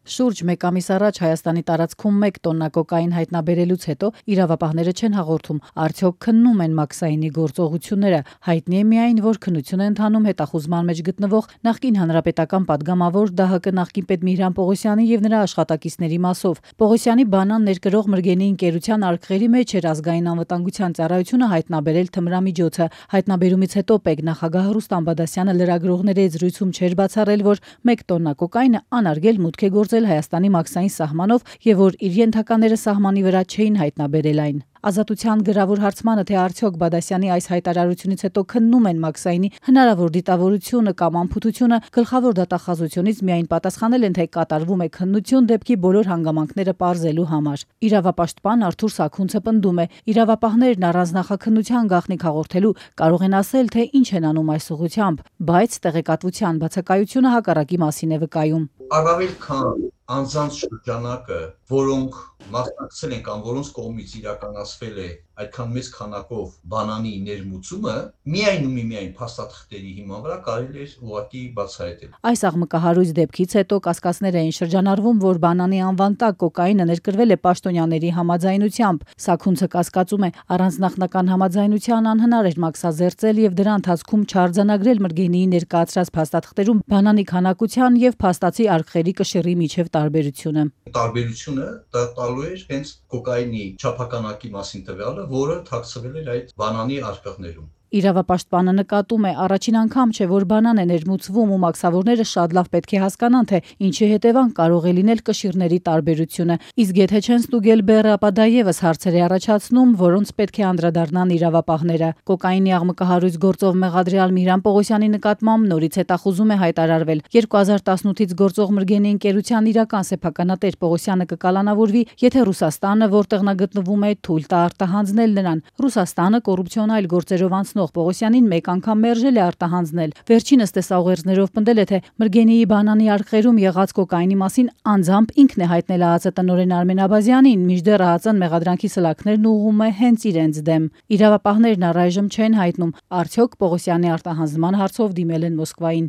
Շուրջ մեկ ամիս առաջ Հայաստանի տարածքում 1 տոննա կոկային հայտնաբերելուց հետո իրավապահները չեն հաղորդում, արդյոք քննում են Մաքսայինի գործողությունները։ Հայտնի է միայն, որ քննություն է ընթանում հետախուզման մեջ գտնվող նախկին հանրապետական падգամավոր ԴՀԿ նախկին պետ Միհրան Պողոսյանի եւ նրա աշխատակիցների մասով։ Պողոսյանի բանան ներկրող Մրգենի ընկերության արկղերի մեջ էր ազգային անվտանգության ծառայությունը հայտնաբերել թմրամիջոցը։ Հայտնաբերումից հետո ՊԵԿ նախագահ Ռուստամ Բադասյանը լրագրողների հետ զրույցում չէր բացառել, որ 1 տոննա կոկայնը անարգել մուտք է գործել Հայաստանի Մաքսային սահմանով եւ որ իր ենթակաները սահմանի վրա չէին հայտնաբերել այն։ Ազատության գրավոր հարցմանը, թե արդյոք Բադասյանի այս հայտարարությունից հետո քննում են Մաքսայինի հնարավոր դիտավորությունը կամ անփութությունը, գլխավոր դատախազությունից միայն պատասխանել են, թե կատարվում է քննություն դեպքի բոլոր հանգամանքները պարզելու համար։ Իրավապաշտպան Արթուր Սաքունցը պնդում է, իրավապահներն առանց նախաքննության գաղտնիք հաղորդելու կարող են ասել, թե ինչ են անում այս ուղղությամբ, բայց տեղեկատվության բացակայությունը հակառակի մասին է վկայում։ Առավել քան անձանց շրջանակը, որոնք մասնակցել են կամ որոնց կողմից իրականացվել է այդքան մեծ քանակով բանանի ներմուծումը, միայն փաստաթղթերի հիման վրա կարելի է ուղղակի բացահայտել։ Այս աղմկահարույց դեպքից հետո կասկածներ էին շրջանառվում, որ բանանի անվան տակ կոկայինը ներկրվել է պաշտոնյաների համաձայնությամբ։ Սաքունցը կասկածում է, առանց նախնական համաձայնության անհնար էր մաքսազերծել եւ դրա ընթացքում չարձանագրել Մրգենիի ներկայացրած փաստաթղթերում բանանի քանակության եւ փաստացի արկղերի կշիռի միջև տարբերությունը։ Տարբերությունը դա տալու էր հենց կոկայինի չափականակի մասին տվյալը, որը թաքցվել էր այդ բանանի արկղներում։ Իրավապաշտպանը նկատում է, առաջին անգամ չէ, որ բանան է ներմուծվում ու մաքսավորները շատ լավ պետք է հասկանան, թե ինչի հետևանք կարող է լինել կշիռների տարբերությունը։ Իսկ եթե չեն ստուգել բեռը, ապա դա եւս հարցեր է առաջացնում, որոնց պետք է անդրադառնան իրավապահները։ Կոկայինի աղմկահարույց գործով մեղադրյալ Միհրան Պողոսյանի նկատմամբ նորից հետախուզում է հայտարարվել։ 2018-ից գործող Մրգենի ընկերության իրական սեփականատեր Պողոսյանը կկալանավորվի, եթե Ռուսաստանը, որտեղ նա գտնվում է, թույլ տա արտահանձնել նրան։ Ռուսաստանը կոռուպցիոնալ գործերով Պողոսյանին մեկ անգամ մերժել է արտահանձնել։ Վերջինս տեսաուղերձներով պնդել է, թե Մրգենիի բանանի արկղերում եղած կոկայինի մասին անձամբ ինքն է հայտնել ԱԱԾ տնօրեն Արմեն Աբազյանին, մինչդեռ ԱԱԾ-ն մեղադրանքի սլաքներն ուղղում է հենց իրենց դեմ։ Իրավապահներն առայժմ չեն հայտնում, արդյոք Պողոսյանի արտահանձնման հարցով դիմել են Մոսկվային։